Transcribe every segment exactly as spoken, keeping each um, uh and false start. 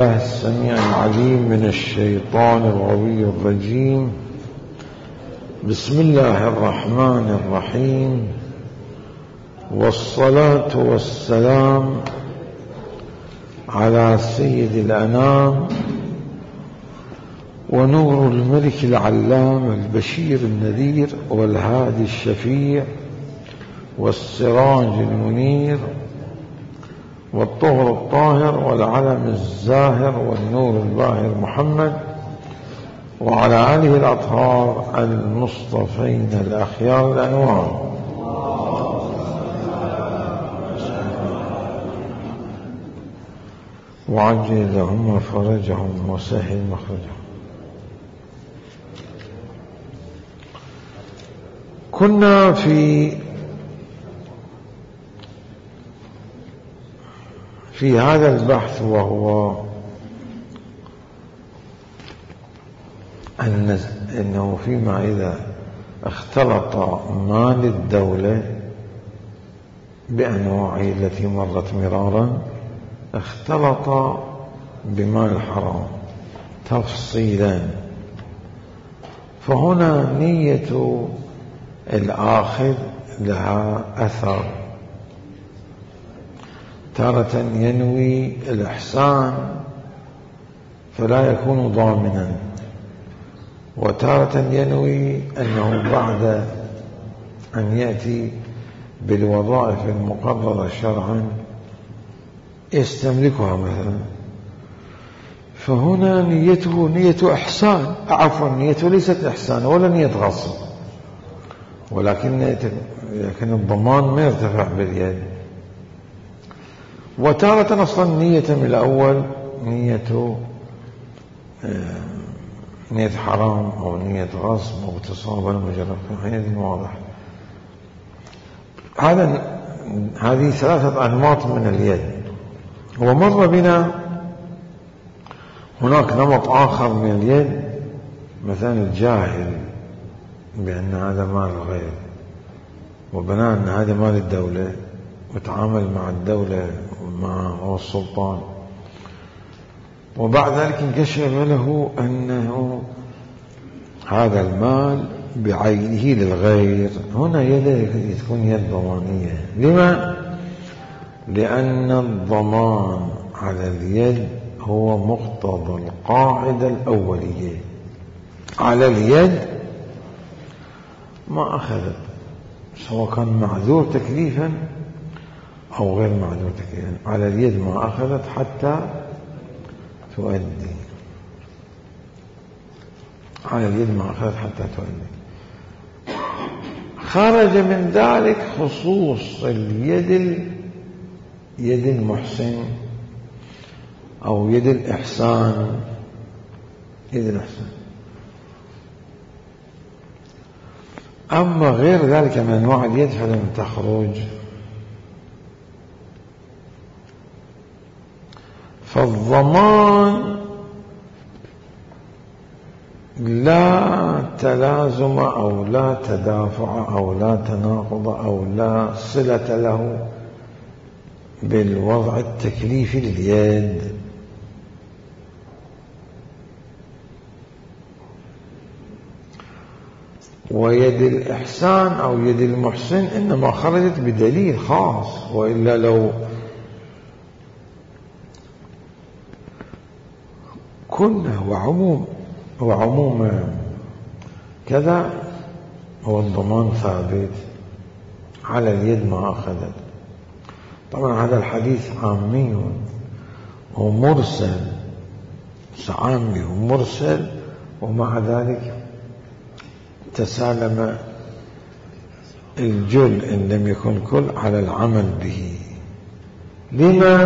الله السميع العليم من الشيطان الغوي الرجيم. بسم الله الرحمن الرحيم، والصلاة والسلام على سيد الأنام ونور الملك العلام البشير النذير والهادي الشفيع والسراج المنير والطهر الطاهر والعلم الزاهر والنور الباهر محمد وعلى آله الأطهار المصطفين الأخيار الأنوار. وعجل لهم فرجهم وسهل مخرجهم. كنا في في هذا البحث، وهو أن إنه فيما إذا اختلط مال الدولة بأنواعه التي مرت مرارا اختلط بمال الحرام تفصيلا، فهنا نية الآخذ لها أثر. تارة ينوي الإحسان فلا يكون ضامنا، وتارة ينوي أنه بعد أن يأتي بالوظائف المقررة شرعا يستملكها مثلا، فهنا نيته نية إحسان، عفوا نيته ليست إحسان ولا نية غصب، ولكن لكن الضمان ما يرتفع باليد. وتارة أصلا نية من الأول نية نية حرام أو نية غصب أو اغتصاب المجرد، حينئذ واضح. هذا هذه ثلاثة أنماط من اليد. ومر بنا هناك نمط آخر من اليد، مثلا الجاهل بأن هذا مال الغير وبناء أن هذا مال الدولة وتعامل مع الدولة مع السلطان، وبعد ذلك انكشف له أنه هذا المال بعينه للغير. هنا يده تكون يد ضمانية. لما؟ لأن الضمان على اليد هو مقتضى القاعدة الأولية. على اليد ما أخذت، سواء كان معذور تكليفا أو غير معذور تكليفا، على اليد ما أخذت حتى تؤدي. على اليد ما أخذت حتى تؤدي. خرج من ذلك خصوص اليد يد المحسن أو يد الإحسان. يد الإحسان. أما غير ذلك من أنواع اليد فلم تخرج. فالضمان لا تلازم أو لا تدافع أو لا تناقض أو لا صلة له بالوضع التكليفي لليد. ويد الإحسان أو يد المحسن إنما خرجت بدليل خاص، وإلا لو كنا وعموم وعموم كذا هو الضمان ثابت. على اليد ما أخذت. طبعا هذا الحديث عامي ومرسل، عامي ومرسل، ومع ذلك تسالم الجل إن لم يكن كل على العمل به. لما؟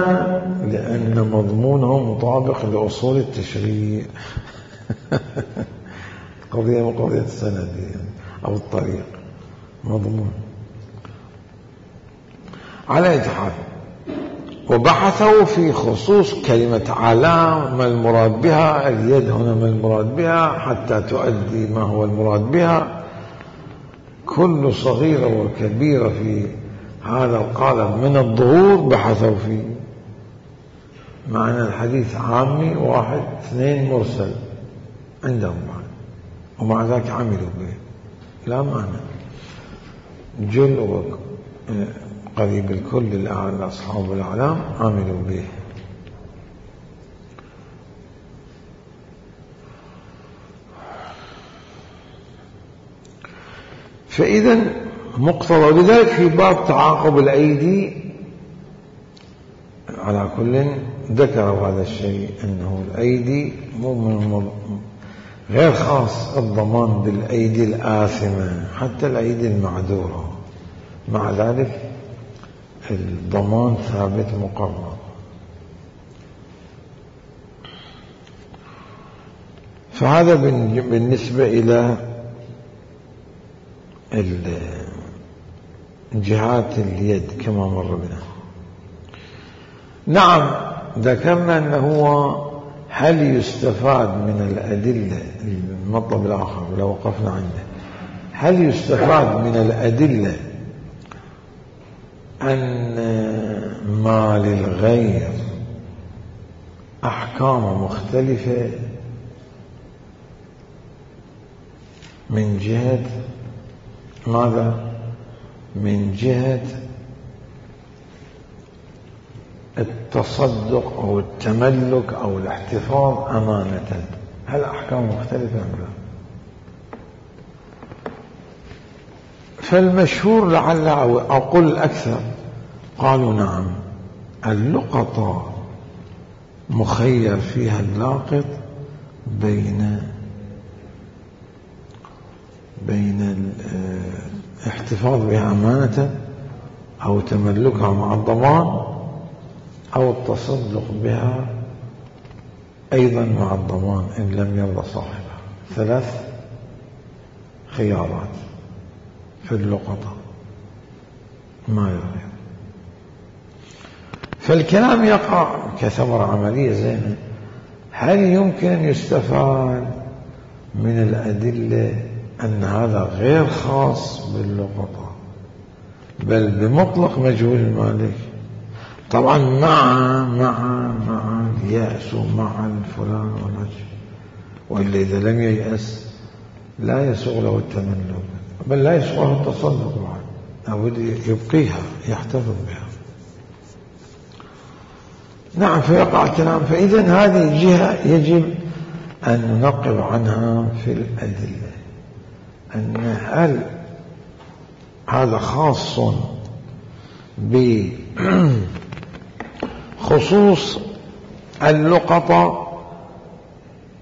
لأن مضمونه مطابق لأصول التشريع. قضية من قضية السند أو الطريق مضمون. على أي حال، وبحثوا في خصوص كلمة على ما المراد بها. اليد هنا ما المراد بها حتى تؤدي ما هو المراد بها. كل صغيرة وكبيرة في هذا القالب من الظهور بحثوا فيه. معنى الحديث عامي، واحد اثنين مرسل عندهم معنى، ومع ذلك عملوا به، لا معنى. جل قريب الكل الأعلى أصحاب الأعلام عملوا به. فإذا مقتضى، لذلك في باب تعاقب الأيدي على كل ذكروا هذا الشيء، أنه الأيدي مو من غير خاص الضمان بالأيدي الآثمة، حتى الأيدي المعذورة، مع ذلك الضمان ثابت مقرر. فهذا بالنسبة إلى جهات اليد كما مر بنا. نعم ذكرنا أنه هو هل يستفاد من الأدلة، المطلب الآخر لو وقفنا عنده، هل يستفاد من الأدلة أن ما للغير أحكام مختلفة من جهة ماذا؟ من جهة التصدق أو التملك أو الاحتفاظ أمانة، هل أحكام مختلفة أم لا؟ فالمشهور لعل أو أقول الأكثر قالوا نعم، اللقطة مخير فيها اللاقط بين بين الاحتفاظ بها أمانة أو تملكها مع الضمان، أو التصدق بها أيضا مع الضمان إن لم يرضى صاحبها. ثلاث خيارات في اللقطة ما يغير. فالكلام يقع كثمرة عملية زينة. هل يمكن أن يستفاد من الأدلة أن هذا غير خاص باللقطة بل بمطلق مجهول المالك؟ طبعا مع مع مع اليأس ومع الفلان والرجل، وإلا إذا لم ييأس لا يسوغ له التملك، بل لا يسوغ له التصدق بعد، لابد يبقيها يحتفظ بها. نعم فيقع الكلام. فإذا هذه الجهة يجب أن ننقب عنها في الأدلة، أن هل هذا خاص بخصوص اللقطة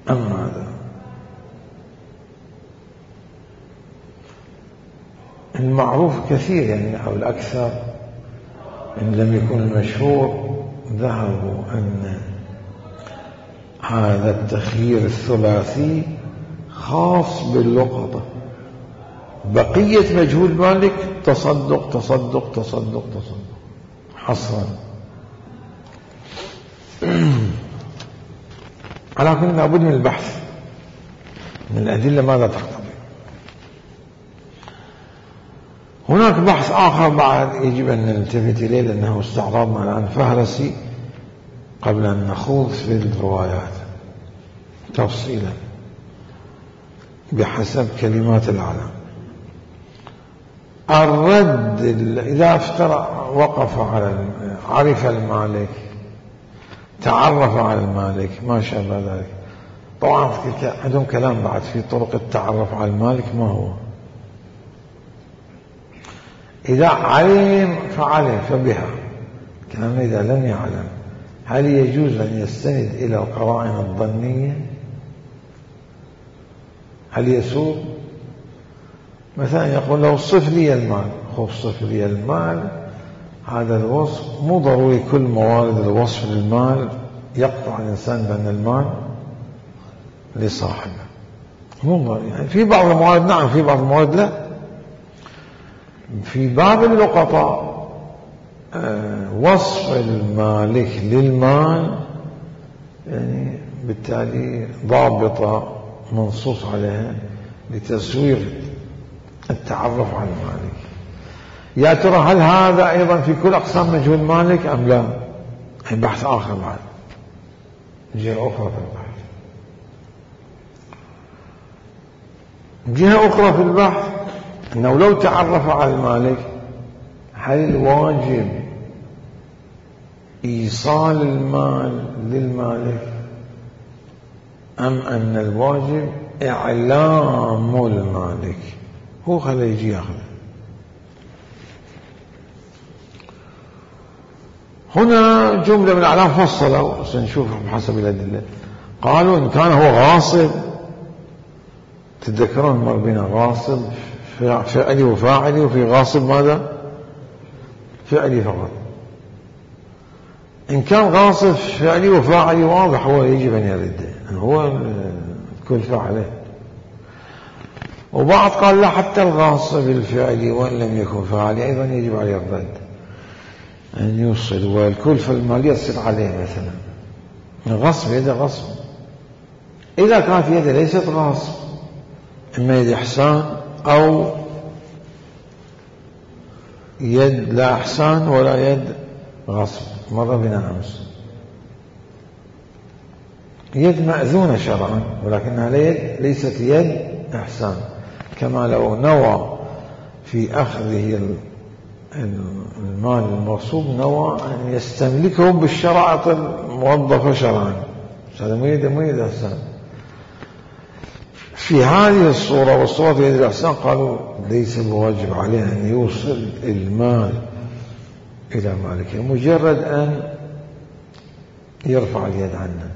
أم هذا؟ المعروف كثير يعني أو الأكثر إن لم يكن المشهور ذهبوا أن هذا التخيير الثلاثي خاص باللقطة، بقية مجهول مالك تصدق تصدق تصدق تصدق حصرا. على كل لابد من البحث من الأدلة ماذا تقتضي. هناك بحث آخر بعد يجب أن نلتفت إليه، لأنه استعرضنا الآن فهرسي قبل أن نخوض في الروايات تفصيلا بحسب كلمات العالم. الرد إذا افترى وقف على عرف المالك، تعرف على المالك، ما شابه ذلك. طبعا عندهم كلام بعد في طرق التعرف على المالك ما هو. إذا علم فعلم فبها، كلام إذا لم يعلم هل يجوز أن يستند إلى القرائن الظنية؟ هل يسوق؟ مثلا يقول له صف لي المال، خذ صف لي المال، هذا الوصف مو ضروري كل موارد الوصف للمال يقطع الإنسان بأن المال لصاحبه، مو ضروري. يعني في بعض الموارد نعم، في بعض الموارد لا. في باب اللقطة آه وصف المالك للمال يعني بالتالي ضابطة منصوص عليها لتسويغ التعرف على المالك. يا ترى هل هذا أيضا في كل أقسام مجهول مالك أم لا؟ بحث آخر بعد. جهة أخرى في البحث. جهة أخرى في البحث أنه لو تعرف على المالك هل الواجب إيصال المال للمالك أم أن الواجب إعلام المالك؟ هو خليه يجي ياخذه. هنا جملة من الأعلام فصلوا سنشوفها بحسب الأدلة. قالوا إن كان هو غاصب، تتذكرون مر بنا غاصب فعلي وفاعلي، وفي غاصب ماذا؟ فعلي فقط. إن كان غاصب فعلي وفاعلي واضح هو يجب أن يرد، هو كل فاعله. وبعض قال لا، حتى الغاصب الفعلي وإن لم يكن فاعلي أيضا يجب عليه الرد، أن يوصل، والكلفة المالية تصير عليه مثلا. الغصب يده غصب. إذا كانت يده ليست غصب، إما يد إحسان أو يد لا إحسان ولا يد غصب، مر بنا أمس. يد مأذونة شرعا ولكنها ليست يد إحسان، كما لو نوى في أخذه المال المغصوب نوى أن يستملكه بالشرائط الموظفة شرعا، هذا مو يد مو يد إحسان. في هذه الصورة والصورة في يد الإحسان قالوا ليس بواجب عليه أن يوصل المال إلى مالكه، مجرد أن يرفع اليد عنه.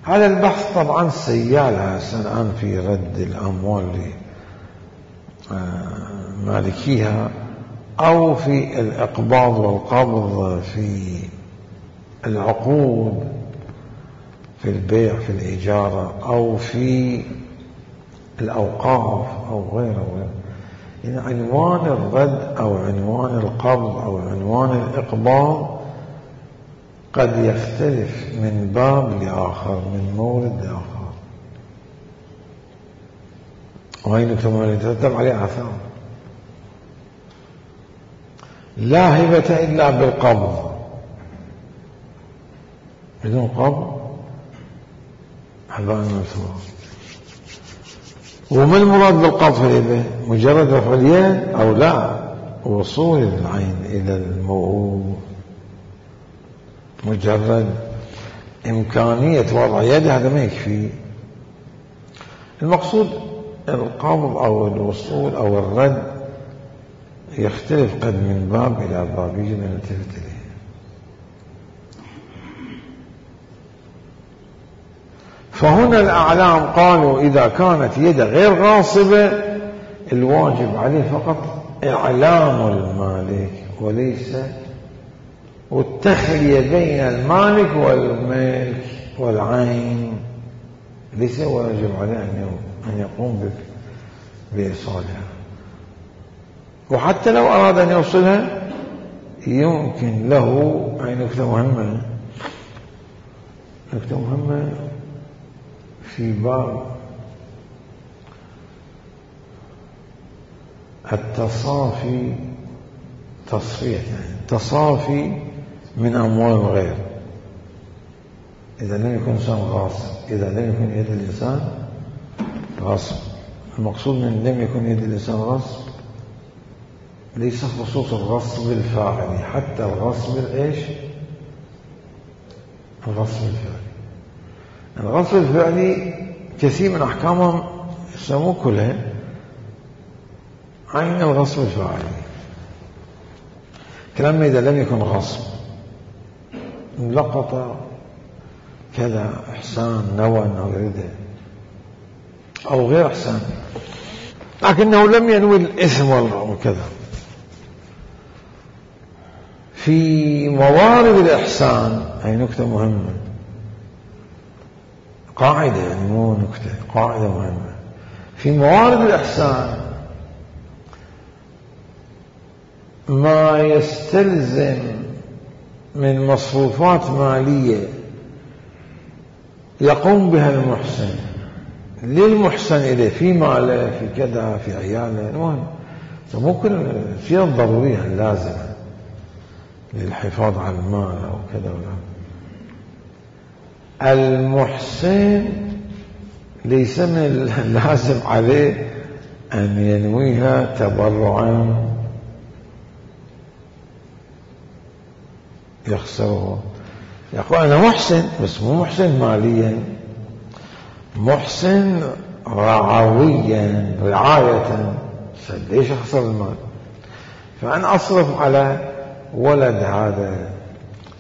هذا البحث طبعا سيال الآن في رد الأموال لمالكيها، أو في الإقباض والقبض في العقود، في البيع في الإجارة، أو في الأوقاف أو غيره وغيره. يعني عنوان الرد أو عنوان القبض أو عنوان الإقباض قد يختلف من باب لآخر، من مورد لآخر، وهي نكتب ما يترتب عليه آثار. لا هبة إلا بالقبض، بدون قبض حباء منثورا. وما المراد بالقبض في اليد؟ مجرد رفع اليد أو لا وصول العين إلى الموعود، مجرد إمكانية وضع يده هذا ما يكفي. المقصود القبض أو الوصول أو الرد يختلف قد من باب إلى باب، يجب أن نلتفت إليه. فهنا الأعلام قالوا إذا كانت يده غير غاصبة الواجب عليه فقط إعلام المالك، وليس والتخلية بين المالك والملك والعين، ليس واجب عليه أن يقوم بإيصالها. وحتى لو أراد أن يوصلها يمكن له. هاي نكتة مهمة، نكتة مهمة في باب التصافي، تصفية يعني تصافي من أموال الغير. إذا لم يكن إنسان غاصب، إذا لم يكن يد الإنسان غصب. المقصود من لم يكن يد الإنسان غصب ليس خصوص الغصب الفاعلي، حتى الغصب الإيش؟ الغصب الفعلي. الغصب الفعلي كثير من أحكامهم يسموه كلها عين الغصب الفاعلي. كلام إذا لم يكن غصب، لقط كذا إحسان نوى أو رده أو غير إحسان، لكنه لم ينوي الإثم وكذا. في موارد الإحسان هي نكتة مهمة، قاعدة يعني مو نكتة، قاعدة مهمة. في موارد الإحسان ما يستلزم من مصروفات مالية يقوم بها المحسن للمحسن إليه، في ماله في كذا في عياله، المهم ممكن الشيء الضرورية اللازمة للحفاظ على المال أو كذا ولا. المحسن ليس من اللازم عليه أن ينويها تبرعا يخسره. يقول أنا محسن، بس مو محسن ماليا، محسن رعويا، رعاية. ليش أخسر المال؟ فأنا أصرف على ولد هذا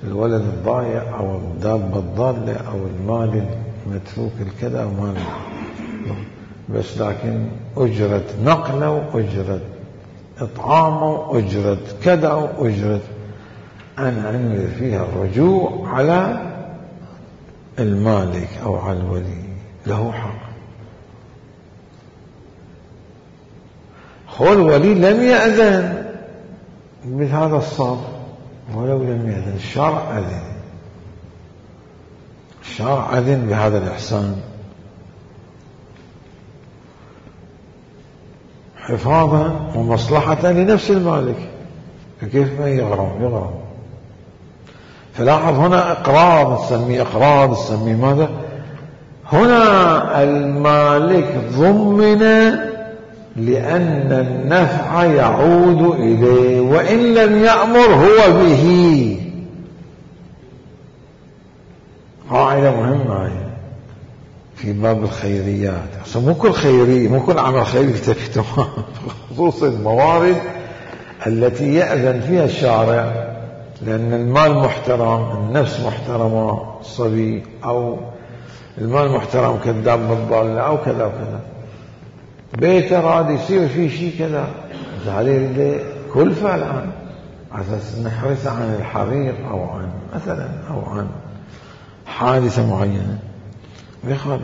الولد الضايع أو الدابة الضالة أو المال المتروك الكذا ومال، بس لكن أجرة نقله وأجرة إطعامه وأجرة كذا وأجرة، أنا أنوي فيها الرجوع على المالك أو على الولي، له حق. هو الولي لم يأذن بهذا الصرف، ولو لم يأذن الشرع أذن، الشرع أذن بهذا الإحسان حفاظا ومصلحة لنفس المالك. فكيف ما يغرم يغرم. فلاحظ هنا إقراض، تسميه إقراض، تسميه ماذا؟ هنا المالك ضمن لأن النفع يعود إليه وإن لم يأمر هو به. قاعدة مهمة هي في باب الخيريات. مو كل خيري، مو كل عمل خيري تكتب، خصوصا الموارد التي يأذن فيها الشارع، لأن المال محترم، النفس محترمة، الصبي أو المال محترم كالدابة الضالة أو كذا وكذا. بيته راد يصير فيه شيء كذا، عليه كلفة الآن على أساس نحرص عن الحريق أو عن مثلا أو عن حادثة معينة، ما يخالف.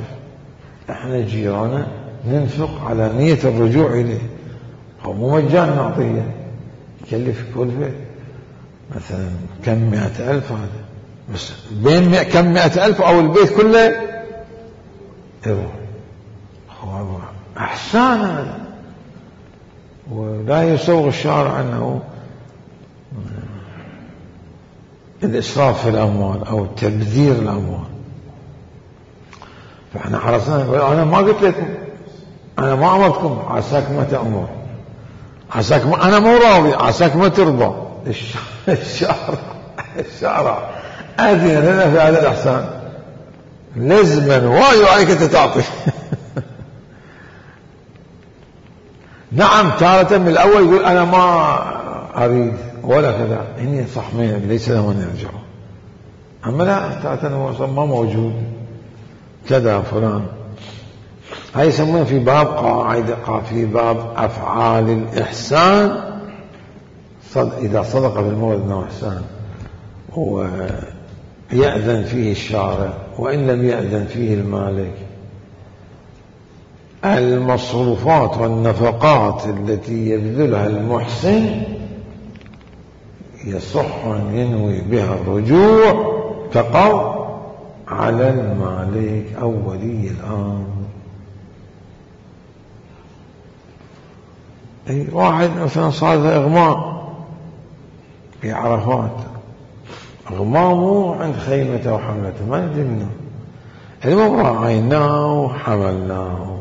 احنا جيرانا ننفق على نية الرجوع إليه، هو مو مجانا نعطيه، يكلف كلفة مثلا كم مئة ألف، هذا بس بين مئة كم مئة ألف أو البيت كله يروح. هو أحسان هذا، ولا يسوغ الشارع أنه الإسراف في الأموال أو تبذير الأموال. فإحنا حرصنا، أنا ما قلت لكم، أنا ما أمرتكم، عساك ما تأمر، عساك ما، أنا مو راضي، عساك ما ترضى. الشارع الشارع أذن لنا في هذا الإحسان لزما، واي عليك أنت تعطي. نعم تارة من الأول يقول أنا ما أريد ولا كذا، هني صح ليس له من يرجعه. أما لا، تارة هو ما موجود كذا فلان. هاي يسمونه في باب قاعدة، في باب أفعال الإحسان، صد إذا صدق بالمولد أنه إحسان ويأذن فيه الشارع وإن لم يأذن فيه المالك. المصروفات والنفقات التي يبذلها المحسن يصح أن ينوي بها الرجوع تقع على المالك أو ولي الأمر. أي واحد مثلا صار له إغماء في عرفات، إغمامه عند خيمته وحملته ما ندري منه، المهم راعيناه وحملناه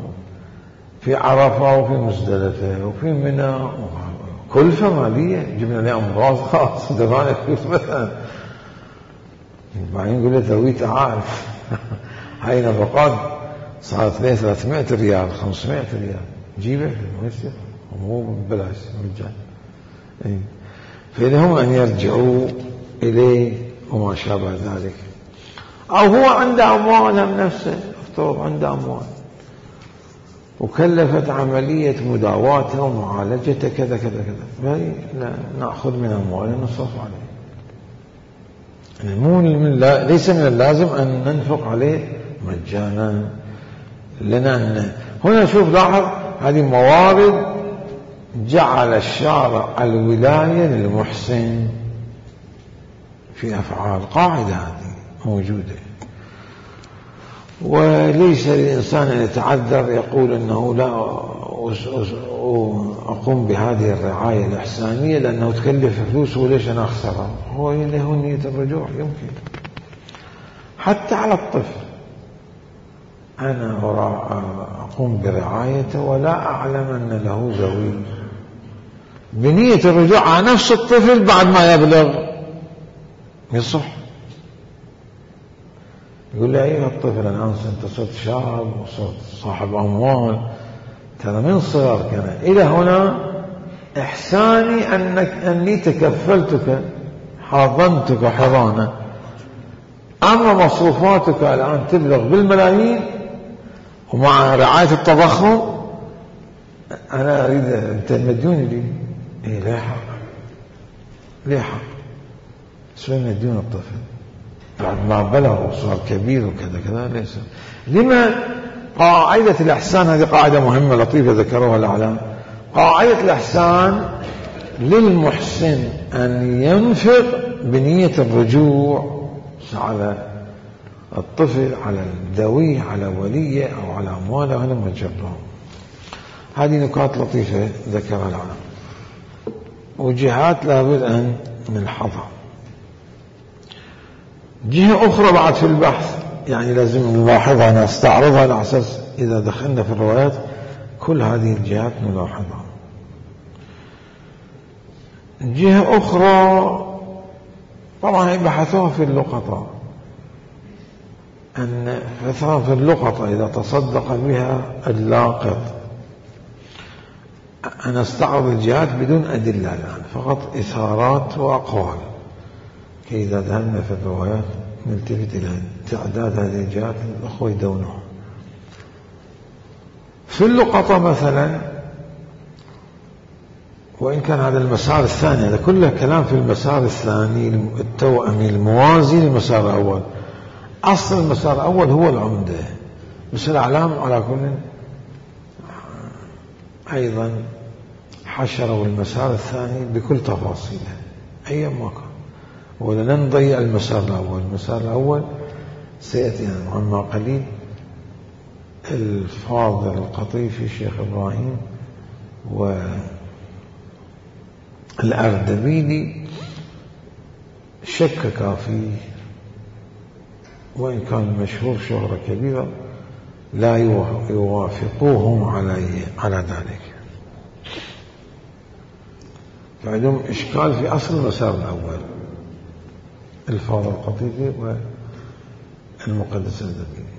في عرفة وفي مزدلفة وفي منى، كلفة مالية، جبنا له أمراض خاص دفعنا فلوس مثلا، بعدين نقول له توي تعال. هاي نفقات صارت له ثلاثمائة ريال خمسمائة ريال، جيبه ما يصير، مو ببلاش مجان. فلهم أن يرجعوا إليه وما شابه ذلك. أو هو عنده أموال من نفسه، افترض عنده أموال وكلفت عملية مداواته ومعالجته كذا كذا كذا، نأخذ من أمواله نصرف عليه. مو من لا ليس من اللازم أن ننفق عليه مجانا لنا أن هنا شوف لاحظ هذه موارد جعل الشارع الولاية للمحسن في أفعال، قاعدة هذه موجودة. وليس للإنسان أن يتعذر يقول أنه لا أقوم بهذه الرعاية الإحسانية لأنه تكلف فلوس وليش أنا أخسرها. هو له نية الرجوع يمكن. حتى على الطفل أنا أقوم برعايته ولا أعلم أن له ذوي، بنية الرجوع على نفس الطفل بعد ما يبلغ يصح. يقول لي أيها الطفل الآن أنت صرت شاب وصرت صاحب أموال، ترى من صغرك أنا إلى هنا إحساني أنك أني تكفلتك حضنتك حضانة، أما مصروفاتك الآن تبلغ بالملايين ومع رعاية التضخم أنا أريد أنت مديون لي. إيه لا حق، ليه حق؟ شو مديون الطفل بعد ما بلغ وصار كبير وكذا كذا؟ ليس. لما قاعدة الإحسان هذه قاعدة مهمة لطيفة ذكروها الأعلام. قاعدة الإحسان للمحسن أن ينفق بنية الرجوع على الطفل، على الذوي، على وليه أو على أمواله على مجرهم. هذه نكات لطيفة ذكرها العلماء، وجهات لابد أن نلحظها. جهة أخرى بعد في البحث يعني لازم نلاحظها، نستعرضها على أساس إذا دخلنا في الروايات كل هذه الجهات نلاحظها. جهة أخرى طبعا بحثوها في اللقطة، أن مثلا في اللقطة إذا تصدق بها اللاقط، أنا استعرض الجهات بدون أدلة الآن، فقط إثارات وأقوال، كي إذا ذهبنا في الروايات نلتفت إلى تعداد هذه الجهات الأخوة يدونها. في اللقطة مثلا، وإن كان هذا المسار الثاني، هذا كله كلام في المسار الثاني التوأمي الموازي للمسار الأول. أصل المسار الأول هو العمدة، بس الأعلام على كل أيضا حشروا المسار الثاني بكل تفاصيله أي ما كان، ولن نضيع المسار الأول. المسار الأول سيأتي عما قليل الفاضل القطيفي الشيخ إبراهيم والأردبيلي شكك فيه، وإن كان مشهور شهرة كبيرة لا يوافقوهم عليه على ذلك، فعندهم إشكال في أصل المسار الأول الفاضل القطيفي والمقدس الأردبيلي.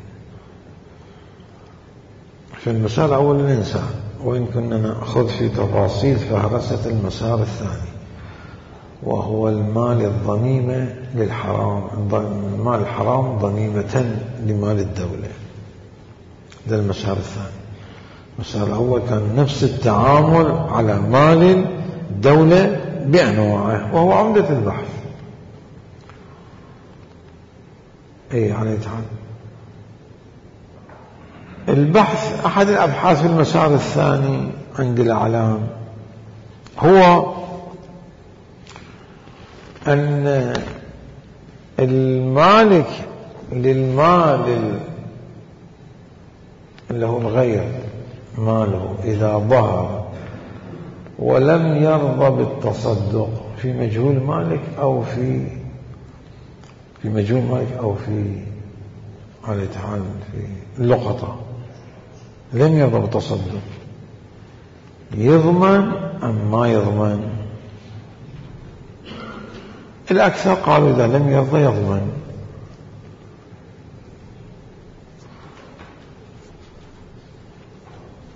في المسار الأول الإنسان، وإن كنا نأخذ في تفاصيل فهرسة المسار الثاني، وهو المال الضميمة للحرام، المال الحرام ضميمة لمال الدولة. ده المسار الثاني. المسار الأول كان نفس التعامل على مال الدولة بأنواعه، وهو عمدة البحث. اي عليه تعالى البحث. أحد الأبحاث في المسار الثاني عند الأعلام هو أن المالك للمال اللي هو الغير ماله إذا ظهر ولم يرضى بالتصدق في مجهول مالك أو في في مجهول مالك أو في عليه تعالى في اللقطة، لم يرضى بالتصدق، يضمن أم ما يضمن؟ الأكثر قالوا إذا لم يرضى يضمن.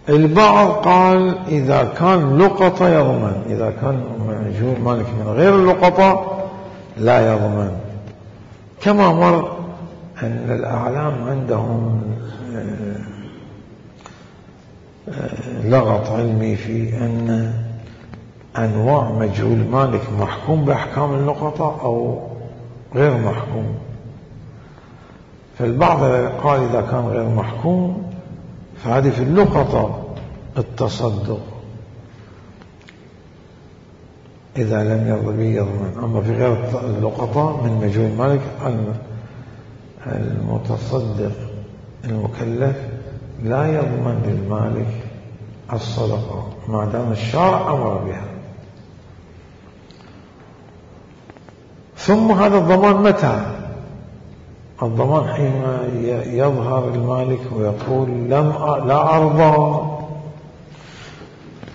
البعض قال إذا كان لقطة يضمن، إذا كان مجهول مالك من غير اللقطة لا يضمن. كما مر أن الأعلام عندهم لغط علمي في أن أنواع مجهول مالك محكوم بأحكام اللقطة أو غير محكوم. فالبعض قال إذا كان غير محكوم فهذه في اللقطة التصدق إذا لم يرضى به يضمن، أما في غير اللقطة من مجهول مالك المتصدق المكلف لا يضمن للمالك الصدقة ما دام الشارع أمر بها. ثم هذا الضمان متى؟ الضمان حينما يظهر المالك ويقول لم أ... لا أرضى،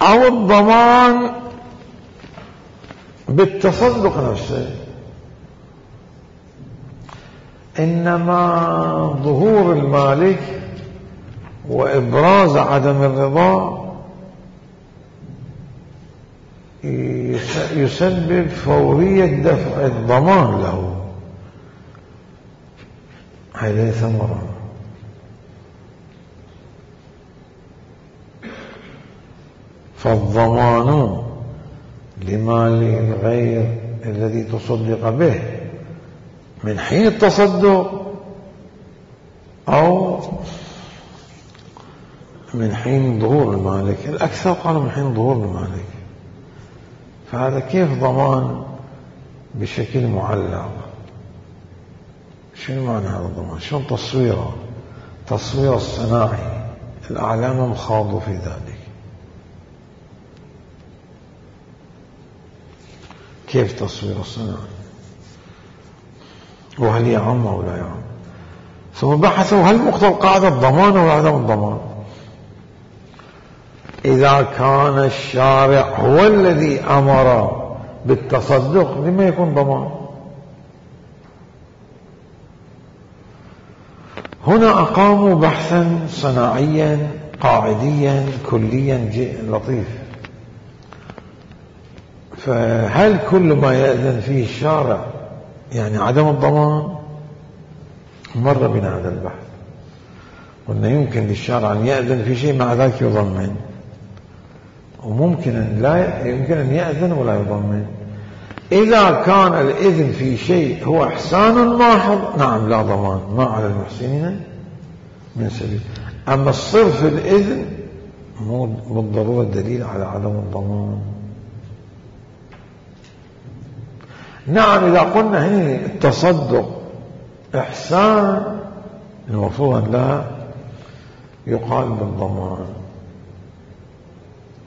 أو الضمان بالتصدق نفسه. إنما ظهور المالك وإبراز عدم الرضا يسبب فورية دفع الضمان له، هذه ثمرة. فالضمان لمال الغير الذي تصدق به من حين التصدق أو من حين ظهور المالك. الأكثر قالوا من حين ظهور المالك. فهذا كيف ضمان بشكل معلق؟ شنو معنى هذا الضمان؟ شنو تصويره؟ تصوير الصناعي، الأعلام خاضوا في ذلك. كيف تصوير الصناعي؟ وهل يعم أو لا يعم؟ ثم بحثوا هل مقتضى القاعدة الضمان أو عدم الضمان. إذا كان الشارع هو الذي أمر بالتصدق لما يكون ضمان؟ هنا أقاموا بحثا صناعيا قاعديا كليا لطيف. فهل كل ما يأذن فيه الشارع يعني عدم الضمان؟ مر بنا هذا البحث، قلنا يمكن للشارع أن يأذن في شيء مع ذلك يضمن، وممكن أن لا يمكن أن يأذن ولا يضمن. إذا كان الإذن في شيء هو إحسان محض نعم لا ضمان، ما على المحسنين من سبيل. أما الصرف الإذن مو بالضرورة دليل على عدم الضمان. نعم إذا قلنا هنا التصدق إحسان المفروض أن لا يقال بالضمان.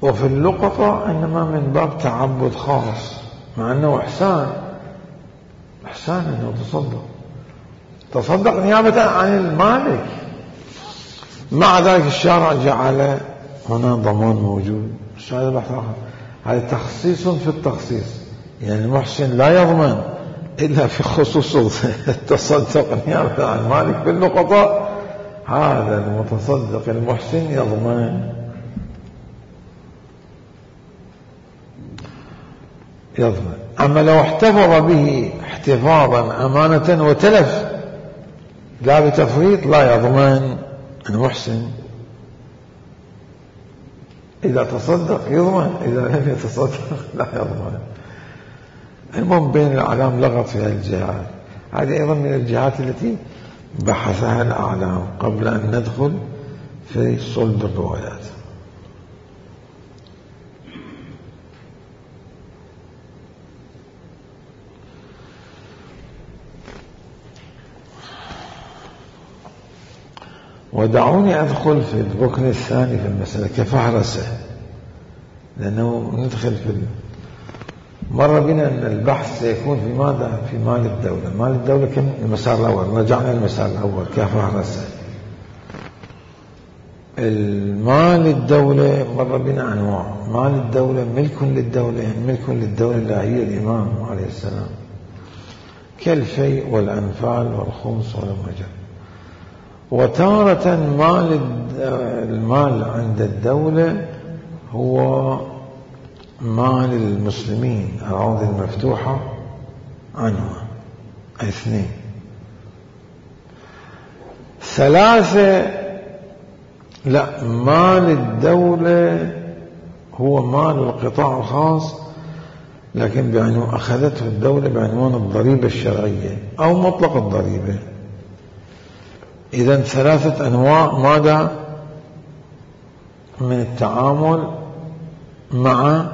وفي اللقطة إنما من باب تعبد خاص، مع أنه إحسان إحسان أنه تصدق تصدق نيابة عن المالك، مع ذلك الشارع جعل هنا ضمان موجود. هذا بحث آخر، هذا تخصيص في التخصيص، يعني المحسن لا يضمن إلا في خصوص التصدق نيابة عن المالك. في اللقطة هذا المتصدق المحسن يضمن يضمن. أما لو احتفظ به احتفاظا أمانة وتلف لا بتفريط لا يضمن المحسن. إذا تصدق يضمن، إذا لم يتصدق لا يضمن. المهم بين الأعلام لغط في هالجهات. هذه أيضا من الجهات التي بحثها الأعلام قبل أن ندخل في صلب الروايات. ودعوني أدخل في الركن الثاني في المسألة كفهرسة، لأنه ندخل في مر بنا أن البحث سيكون في ماذا؟ في مال الدولة. مال الدولة كم؟ المسار الأول، رجعنا المسار الأول كفهرسة. المال الدولة مر بنا أنواع. مال الدولة ملك للدولة، يعني ملك للدولة لا هي الإمام عليه السلام، كالفيء والأنفال والخمس والمجر. وتارة مال المال عند الدولة هو مال المسلمين، الأراضي المفتوحة عنها. اثنين. ثلاثة لا، مال الدولة هو مال القطاع الخاص لكن بعنوان أخذته الدولة بعنوان الضريبة الشرعية أو مطلق الضريبة. إذن ثلاثة أنواع ماذا من التعامل مع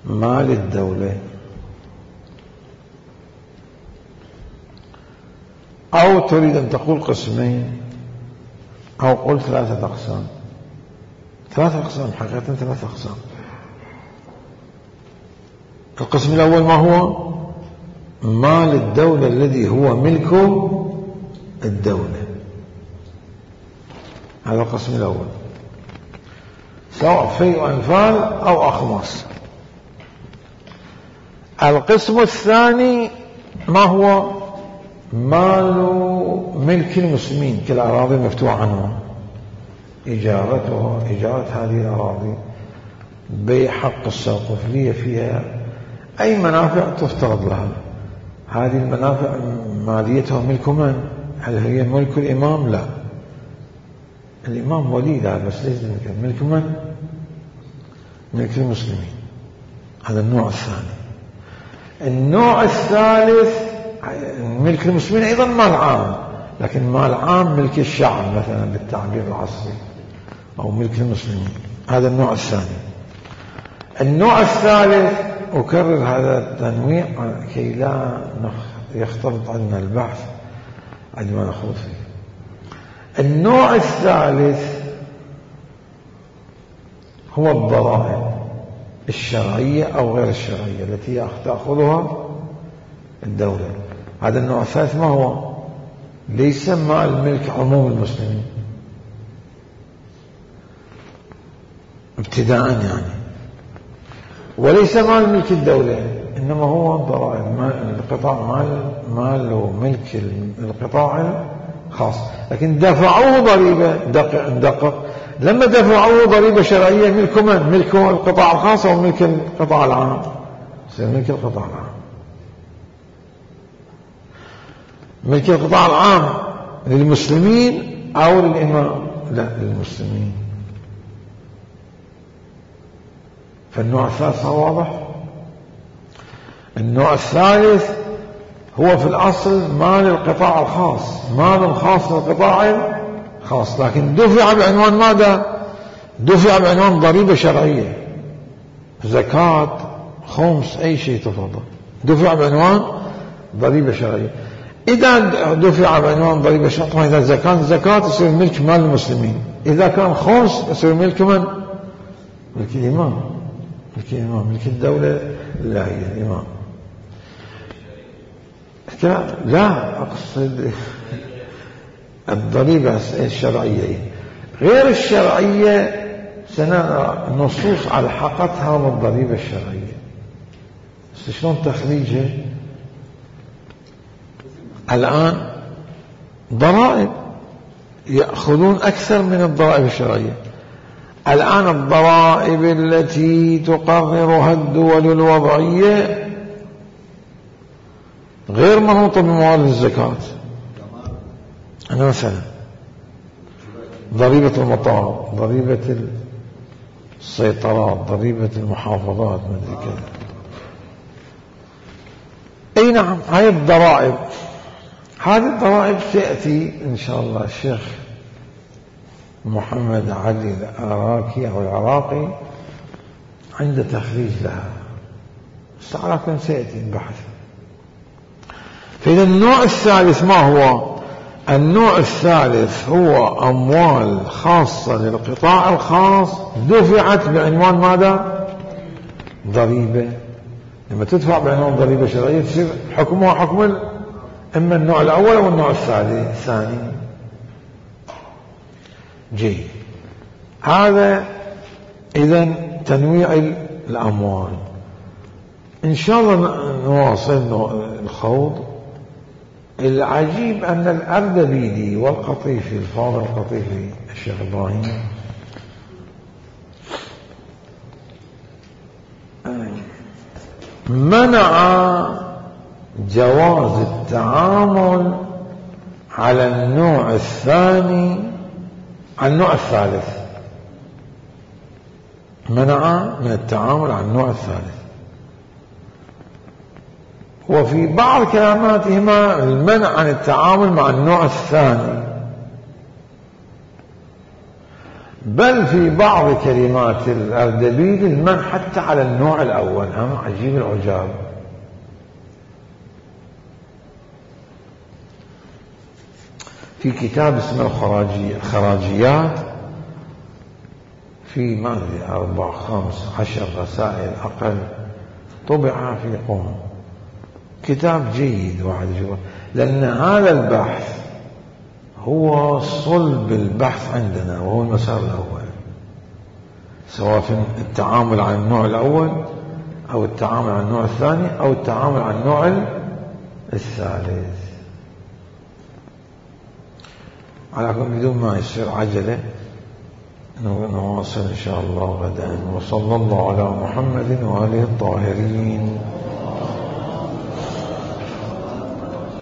مال الدولة. أو تريد أن تقول قسمين أو قل ثلاثة أقسام. ثلاثة أقسام حقيقة، ثلاثة أقسام. القسم الأول ما هو؟ مال الدولة الذي هو ملكه الدولة. هذا القسم الأول، سواء فيء أنفال أو أخماس. القسم الثاني ما هو؟ مال ملك المسلمين كالأراضي المفتوحة عنهم، إجارتها إجارة هذه الأراضي، بيع حق الساقفية فيها، أي منافع تفترض لها. هذه المنافع ماليتها ملك من؟ هل هي ملك الإمام؟ لا، الإمام ولي لا، بس ليس ملك. ملك من؟ ملك المسلمين. هذا النوع الثاني. النوع الثالث ملك المسلمين أيضا مال عام، لكن مال عام ملك الشعب مثلا بالتعبير العصري، أو ملك المسلمين. هذا النوع الثاني. النوع الثالث، أكرر هذا التنويع كي لا يختلط عنا البحث عندما نخوض فيه. النوع الثالث هو الضرائب الشرعية أو غير الشرعية التي تأخذها الدولة. هذا النوع الثالث ما هو؟ ليس مال ملك عموم المسلمين ابتداء يعني، وليس مال ملك الدولة، إنما هو ضرائب القطاع، مال مال ملك القطاع الخاص. لكن دفعوه ضريبة، دقق دقق لما دفعوه ضريبة شرعية، ملك من؟ ملك القطاع الخاص أو ملك القطاع العام؟ يصير ملك القطاع العام. ملك القطاع العام للمسلمين أو للإمام؟ لا، للمسلمين. فالنوع الثالث واضح. النوع الثالث هو في الأصل مال القطاع الخاص، مال خاص للقطاع الخاص، لكن دفع بعنوان ماذا؟ دفع بعنوان ضريبة شرعية، زكاة، خمس، أي شيء تفضل، دفع بعنوان ضريبة شرعية. إذا دفع بعنوان ضريبة شرعية، إذا زكاة زكاة تصير ملك مال المسلمين، إذا كان خمس تصير ملك من؟ ملك الإمام. ملك الإمام، ملك الدولة لا، هي الإمام. لا، أقصد الضريبة الشرعية. غير الشرعية سنرى نصوص ألحقتها بالضريبة الشرعية، بس شلون تخريجها؟ الآن ضرائب يأخذون أكثر من الضرائب الشرعية. الآن الضرائب التي تقررها الدول الوضعية غير منوطة بموارد الزكاة. أنا مثلا ضريبة المطار، ضريبة السيطرات، ضريبة المحافظات، ما أدري كذا. أي نعم، هاي الضرائب. هذه الضرائب تأتي إن شاء الله الشيخ محمد علي العراقي أو العراقي عند تخريج لها، بس على كل سيأتي البحث. فإذا النوع الثالث ما هو؟ النوع الثالث هو أموال خاصة للقطاع الخاص دفعت بعنوان ماذا؟ ضريبة. لما تدفع بعنوان ضريبة شرعية تصير حكمها حكم إما النوع الأول أو النوع الثاني. جيد. هذا إذن تنويع الأموال. إن شاء الله نواصل الخوض. العجيب أن الأردبيلي والقطيفي، الفاضل القطيفي الشيخ إبراهيم، منع جواز التعامل على النوع الثاني على النوع الثالث، منع من التعامل على النوع الثالث. وفي بعض كلماتهما المنع عن التعامل مع النوع الثاني، بل في بعض كلمات الأردبيلي المنع حتى على النوع الأول. هم عجيب العجاب. في كتاب اسمه الخراجيات، في ما أدري أربع خمس عشر رسائل أقل، طبع في قوم، كتاب جيد واحد جوا. لأن هذا البحث هو صلب البحث عندنا، وهو المسار الأول، سواء في التعامل عن النوع الأول أو التعامل عن النوع الثاني أو التعامل عن النوع الثالث. على كل بدون ما يصير عجلة نواصل إن شاء الله غدا. وصلى الله على محمد وآله الطاهرين.